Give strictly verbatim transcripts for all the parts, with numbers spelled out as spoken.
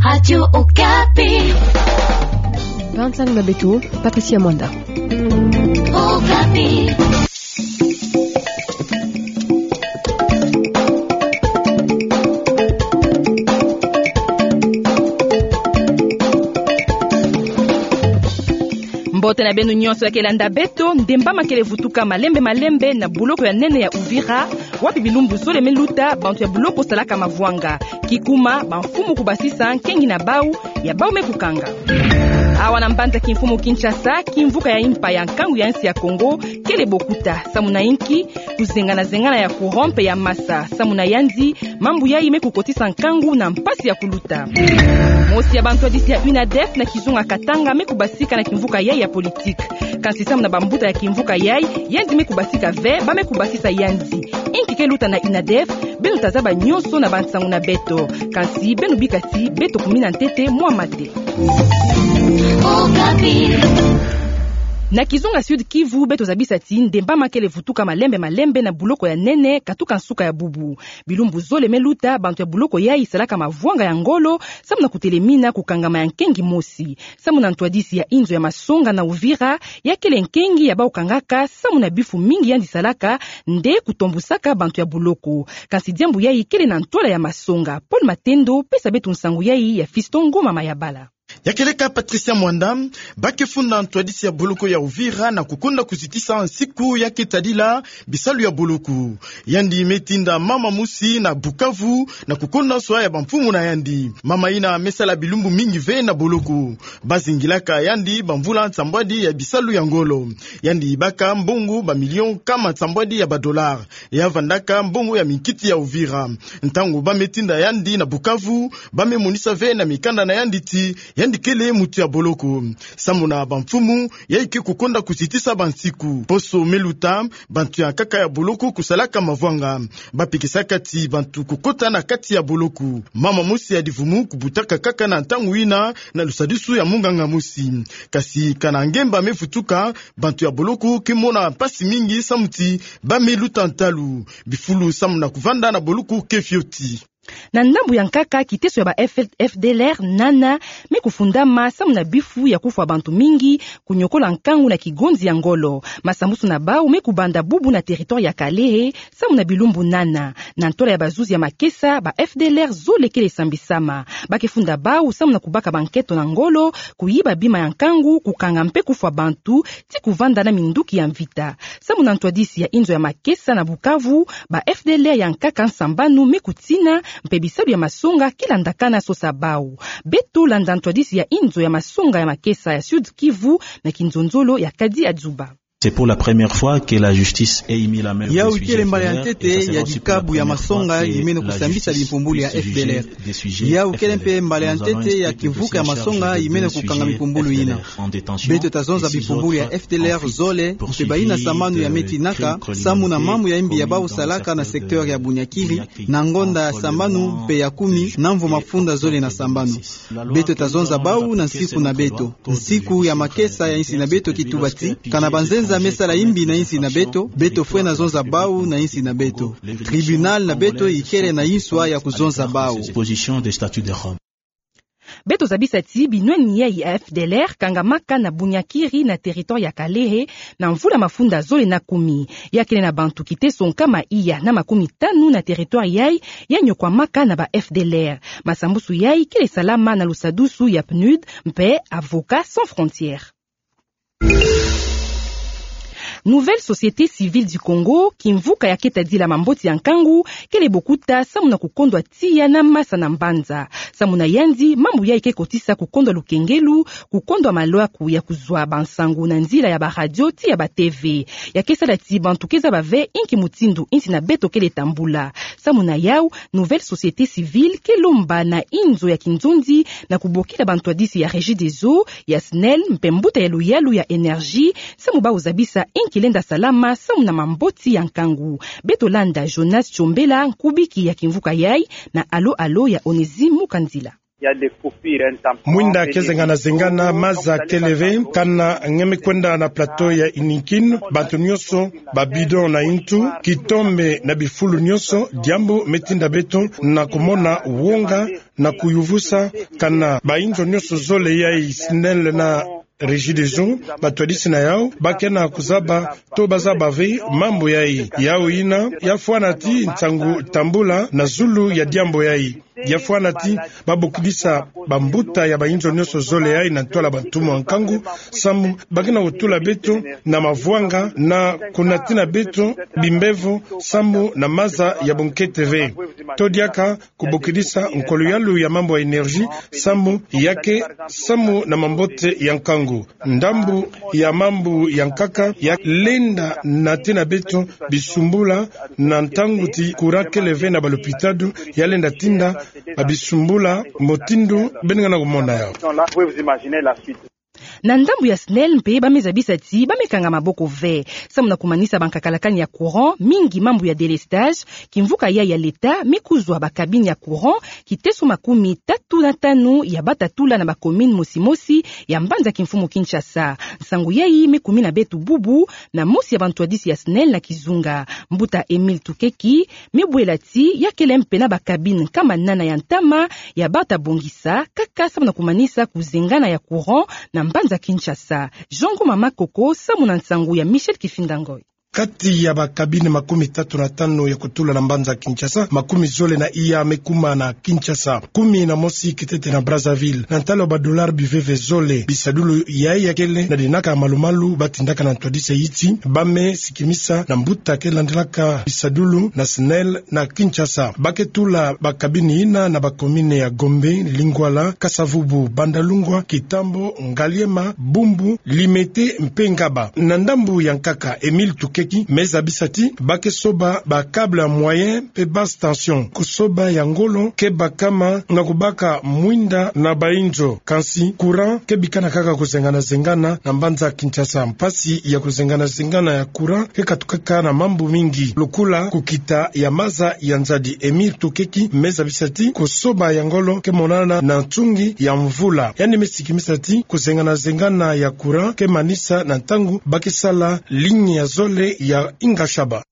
Radio Okapi. Bantlana beto, Patricia Mwanda. Okapi. Mbote na beno nyonso ya ke landa beto. Ndembama kele vutuka malembe malembe na boloko ya nene ya Uvira, wapi bilumbu zole me luta bantu ya boloko salaka mavwanga. Kikuma, bamfumu kubasisa nkengi na bau, ya bau me kukanga. Awa na mbanza kimfumu Kinshasa, kimvuka ya impa ya nkangu ya nsi ya Kongo kele bokuta, samu na inki? Kuzengana-zengana ya courant mpe ya masa, samu na yandi, mambu yayi me kukotisa nkangu na mpasi ya kuluta. Mosi ya bantwadisi ya UNADEF na kizunga Katanga me kubasika na kimvuka yayi ya politique. Kansi samu na bambuta ya kimvuka yayi, yandi me kubasika ve, ba me kubasisa yandi. Inki ke luta na UNADEF? Beno ta zaba nyonso na bansangu na beto. Kansi beno bika ti beto kumina ntete mwa mate. Na kizunga Sud-Kivu, beto zabisa ti ndembama kele vutuka malembe malembe na boloko ya nene katuka nsuka ya bubu. Bilumbu zole me luta, bantu ya boloko yayi salaka mavwanga ya ngolo, samu na kutelemina kukangama ya nkengi mosi. Samu na ntwadisi ya inzo ya masonga na Uvira, ya kele nkengi ya bau kangaka, samu na bifu mingi yandi salaka, nde kutombusaka bantu ya boloko. Kansi diambu yayi kele na ntwala ya masonga. Paul Matendo, pesa beto nsangu yayi ya Fiston Ngoma Mayabala. Ya kieleka Patricia Mwanda, ba ke funda ntwadisi ya boloko ya Uvira na kukonda kuzitisa nsiku ya ke tadila bisalu ya boloko. Yandi me tinda mama mosi na Bukavu na kukonda nswa ya bamfumu na yandi. Mama yina me sala bilumbu mingi ve na boloko. Ba zingilaka yandi bamvula nsambwadi ya bisalu ya ngolo. Yandi baka mbongo bamilio nkama nsambwadi ya badollars. Ya vandaka mbongo ya minkiti ya Uvira. Ntangu ba me tinda yandi na Bukavu, ba me monisa ve na mikanda na yandi ti yandi kele muntu ya boloko. Samu na bamfumu, yayi ke kukonda kuzitisa bansiku. Poso me luta, bantu ya nkaka ya boloko kusalaka mavwanga. Ba pikisaka ti bantu kukota na kati ya boloko. Mama mosi ya divumu kubutaka nkaka na ntangu yina na lusadusu ya munganga mosi. Kansi kana ngemba me vutuka, bantu ya boloko ke mona mpasi mingi samu ti ba me luta ntalu. Bifulu samu na kuvanda na boloko ke fioti. Na ndambu ya nkaka, kiteso ya ba F-, F D L R nana me kufundama samu na bifu ya kufwa bantu mingi, kunyokola nkangu na kigonzi ya ngolo. Masambusu na bau me kubanda bubu na territoire ya Kalehe, samu na bilumbu nana. Na ntwala ya bazuzi ya makesa, ba F D L R zole kele sambisama. Ba ke funda bau samu na kubaka banketo na ngolo, kuyiba bima ya nkangu, kukanga mpe kufwa bantu, ti kuvanda na minduki ya mvita. Samu na ntwadisi ya inzo ya makesa na Bukavu, ba F D L R ya nkaka nsambanu me kutina, mpe bisalu ya masonga ke landakana sosa bau. Beto landa ntwadisi ya inzo ya masonga ya makesa ya Sud-Kivu na kinzonzolo ya Kadi Adzuba. C'est pour la première fois que la justice ait mis la main au sujet. Yawu kele mbala ya ntete ya dikabu ya masonga yimene kusambisa bimpumbulu ya F D L R. Yawu kele mpe mbala ya ntete ya kimvuka ya masonga yimene kukanga mimpumbulu yina. Beto ta zonza bimpumbulu ya F D L R zole, mpe bayina sambanu ya me tinaka, samu na mambu ya yimbi ya bau salaka na secteur ya Bunyakiri, na ngonda ya sambanu mpe ya kumi, na mvu mafunda zole na sambanu. Beto ta zonza bau na nsiku na beto. Nsiku ya makesa ya insi na beto ki tuba ti, kana banzenza me sala yimbi na insi na beto, beto fwena zonza bau na insi na beto. Tribunal na beto ikele na inswa ya kuzonza bau. Beto zabisa ti binwani yayi ya F D L R kangamaka na Bunyakiri na territoire ya Kalehe na mvula mafunda zole na kumi. Ya kele na bantu kiteso nkama iya na makumi tanu na territoire yayi ya nyokwamaka na ba F D L R. Masambusu yayi kele salama na lusadusu ya PNUD mpe Avocats Sans Frontières. Nouvelle Société Civile du Congo, kimvuka ya ke tadila mamboti ya nkangu, kele bokuta samu na kukondwa tiya na masa na mbanza. Samu na yandi, mambu yayi ke kotisa kukondwa lukengelu, kukondwa malwaku ya kuzwa bansangu na nzila ya ba radio ti ya ba T V. Ya ke sala ti bantu ke zaba ve inki mutindu insi na beto kele tambula. Samu na yawu, Nouvelle Société Civile ke lomba na inzo ya kinzonzi na kubokila bantwadisi ya Regideso, ya SNEL, mpe mbuta ya luyalu ya Énergie, samu bau zabisa inki lenda salama samu na mamboti ya nkangu. Beto landa Jonas Chombela, nkubiki ya kimvuka yayi, na alo-alo ya Onésime Mukandila. Mwinda kezengana zengana, maza kele ve, kana nge me kwenda na plateau ya Inikin, bantu nyonso, ba bidon na intu, kitombe na bifulu nyonso, diambu me tinda beto na kumona wonga na kuyuvusa, kana bainzo nyonso zole ya SNEL na Regideso batwadisi na yau, ba kena kuzaba to bazaba ve mambu yai. Yau yina, ya fwana ti nsangu tambula na zulu ya diambu yai. Ya fwana ti babokidisa bambuta ya bainzo nyonso zole yai na ntwala bantumu ya nkangu, samu ba kena kutula beto na mavwanga na kunatina beto bimbevo samu na maza ya bunkete ve. To diaka kubokidisa nkolo yalu ya mambu ya énergie, samu ya ke samu na mambote ya nkangu. Ndambu ya mambu ya nkaka ya lenda na tina beto bisumbula, na ntangu ti courant kele ve na balopitalo, ya lenda tinda babisumbula, motindo beno ngana kumona yau. Na ndambu ya SNEL mpe, ba me zabisa ti ba me kanga maboko ve samu na kumanisa bankakalakani ya courant, mingi mambu ya délestage. Kimvuka yai ya leta me kuzwa ba cabine ya courant kiteso makumi tatu na tanu ya batatula na ba commune mosi mosi ya mbanza kimfumu Kinshasa. Nsangu yai me kumina beto bubu na mosi ya bantwadisi ya SNEL na kizunga. Mbuta Emile Tukeki me bwela ti ya kele mpe na ba cabine nkama nana ya ntama ya bata bongisa kaka samu na kumanisa kuzengana ya courant na mbanza Kinshasa. Jean Ngoma Makoko samu na nsangu ya Michel Kifinda Ngoi. Kati ya ba cabine makumi tatu na tanu ya kutula na mbanza Kinshasa, makumi zole na iya me kuma na Kinshasa, kumi na mosi kitete na Brazzaville. Na ntalu ya ba dollars biveve zole, bisadulu yai ya kele na dinaka malu-malu, ba tindaka na ntwadisi yiti ba me kimisa na mbuta ke landilaka bisadulu na SNEL na Kinshasa. Ba ke tula ba cabine yina na ba commune ya Gombe, Lingwala, Kasa-Vubu, Bandalungwa, Kitambo, Ngaliema, Bumbu, Limete mpe Ngaba. Na ndambu ya nkaka, Emile Tukeki me zabisa ti ba ke soba ba câble ya moyenne mpe basse tension. Kusoba ya ngolo ke bakama na kubaka mwinda na bainzo. Kansi courant ke bikana kaka kuzengana-zengana na mbanza Kinshasa. Mpasi ya kuzengana-zengana ya courant ke katukaka na mambu mingi, lokola kukita ya maza ya nzadi. Emile Tukeki me zabisa ti kusoba ya ngolo ke monana na ntungi ya mvula. Yandi me kimisa ti kuzengana-zengana ya courant ke manisa na ntangu ba ke sala ligne ya zole ya Ingashaba.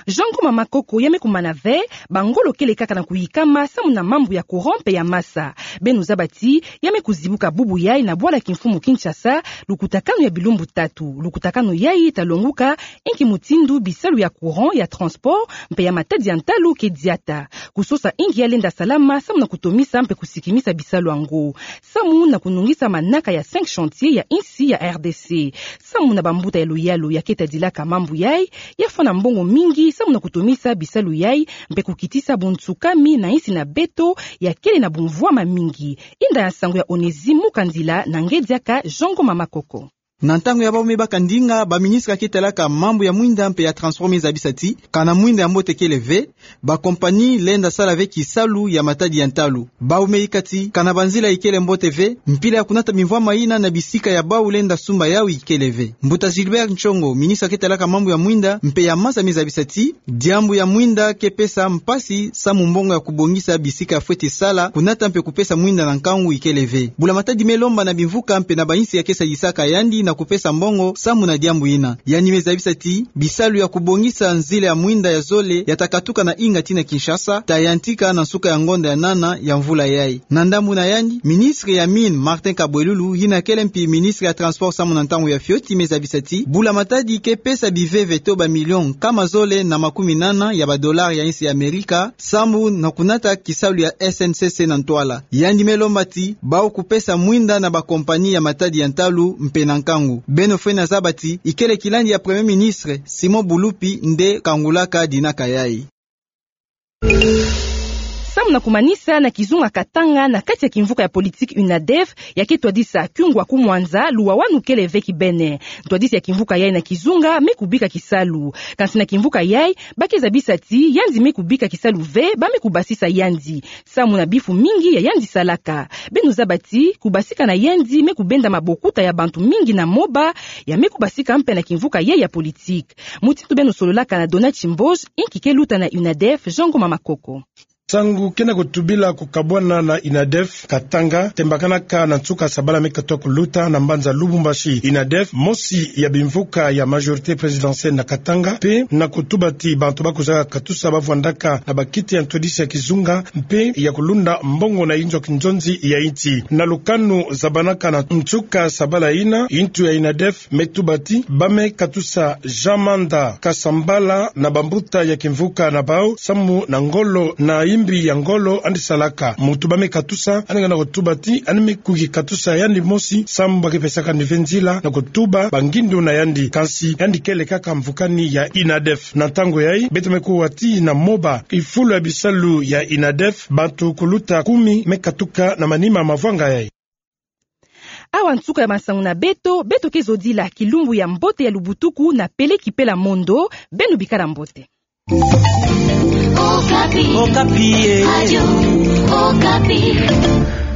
Jean Ngoma Makoko ya me kumana ve, ba ngolo kele kaka na kuyikama samu na mambu ya courant mpe ya maza. Beno zaba ti ya me kuzibuka bubu yai na bwala kimfumu Kinshasa, lukutakanu ya bilumbu tatu. Lukutakanu yai ta longuka inki mutindu bisalu ya courant, ya transport mpe ya matadi ya ntalu ke diata. Kusosa inki ya lenda salama samu na kutomisa mpe kusikimisa bisalu yango, samu na kunungisa manaka ya cinq chantiers ya insi ya R D C. Samu na bambuta ya luyalu ya ke tadilaka mambu yai, ya fwana mbongo mingi samu na kutomisa bisalu yai mpe kukitisa bunsukami na insi na beto ya kele na bumvwama mingi. Inda ya nsangu ya Onésime Mukandila na nge diaka Jean Ngoma Makoko. Na ntangu ya bau me baka ndinga, ba ministre ya ke talaka mambu ya mwinda mpe ya transport me zabisa ti kana mwinda ya mbote kele ve, ba compagnie lenda sala ve kisalu ya matadi ya ntalu. Bau me yika ti kana banzila ikele mbote ve, mpila ya kunata bimvwama yina na bisika ya bau lenda sumba yau ikele ve. Mbuta Gilbert Nchongo, ministre ya ke talaka mambu ya mwinda mpe ya maza, me zabisa ti diambu ya mwinda ke pesa mpasi samu mbongo ya kubongisa bisika ya fweti sala, kunata mpe kupesa mwinda na nkangu ikele ve. Bula Matadi me lomba na bimvuka mpe na bainsi ya ke sadisaka yandi na kupesa mbongo samu na diambu yina. Yandi me zabisa ti bisalu ya kubongisa nzila ya mwinda ya zole ya ta katuka na Inga tii na Kinshasa, ta yantika na nsuka ya ngonda ya nana ya mvula yai. Na ndambu na yandi, ministre ya Mines, Martin Kabwelulu, yina kele mpi ministre ya Transport samu na ntangu ya fioti, me zabisa ti Bula Matadi ke pesa biveve to ba millions nkama zole na makumi nana ya ba dollars ya insi ya Amerika, samu na kunata kisalu ya S N C C na ntwala. Yandi me lomba ti bau kupesa mwinda na ba compagnie ya matadi ya ntalu mpe na nkangu. Beno fwene zaba ti ikele kilandi ya Premier Ministre, Simon Bulupi, nde kangulaka dinaka yai. Samu na kumanisa, na kizunga Katanga, na kati ya kimvuka ya politique UNADEF, ya ke twadisa kiungu ya kumwanza, luwawanu kele ve kibeni. Ntwadisi ya kimvuka yai na kizunga me kubika kisalu. Kansi na kimvuka yai, ba ke zabisa ti yandi me kubika kisalu ve, ba me kubasisa yandi samu na bifu mingi ya yandi salaka. Beno zaba ti kubasika na yandi me kubenda mabokuta ya bantu mingi na moba, ya me kubasika mpe na kimvuka yai ya politique. Mutindu beno sololaka na Dona Chimboge, inki ke luta na UNADEF, Jean Ngoma Makoko. Nsangu ke na kutubila kukabwana na INADEF Katanga, tembakanaka na nsuka sabala me katoa kuluta na mbanza Lubumbashi. INADEF, mosi ya bimvuka ya majorité présidentielle na Katanga, mpe na kutubati bantu ba kwiza katusa bavwandaka na bakiti ya ntwadisi ya kizunga, mpe ya kulunda mbongo na inzo ya kinzonzi ya insi. Na lukanu zabanaka na nsuka sabala yina, ntu ya INADEF me tubati ba me katusa Jean Manda Kasambala na bambuta ya kimvuka na bau, samu na ngolo na imbi ya ngolo yandi salaka. Muntu ba me katusa, yandi ngana kutubati, yandi me kuki katusa yandi mosi, samu ba ke pesaka yandi ve nzila na kutuba bangindu na yandi. Kansi yandi kele kaka mvukani ya INADEF. Na ntangu yayi, beto me kuwa ti na moba, kifulu ya bisalu ya INADEF, bantu kuluta kumi me katuka na manima mavwanga yayi. Awa nsuka ya masangu na beto, beto ke zodila kilumbu ya mbote ya lubutuku na Pele Kipela Mondo, beno bikala mbote. Okapi. Okapi, eh. Radio Okapi.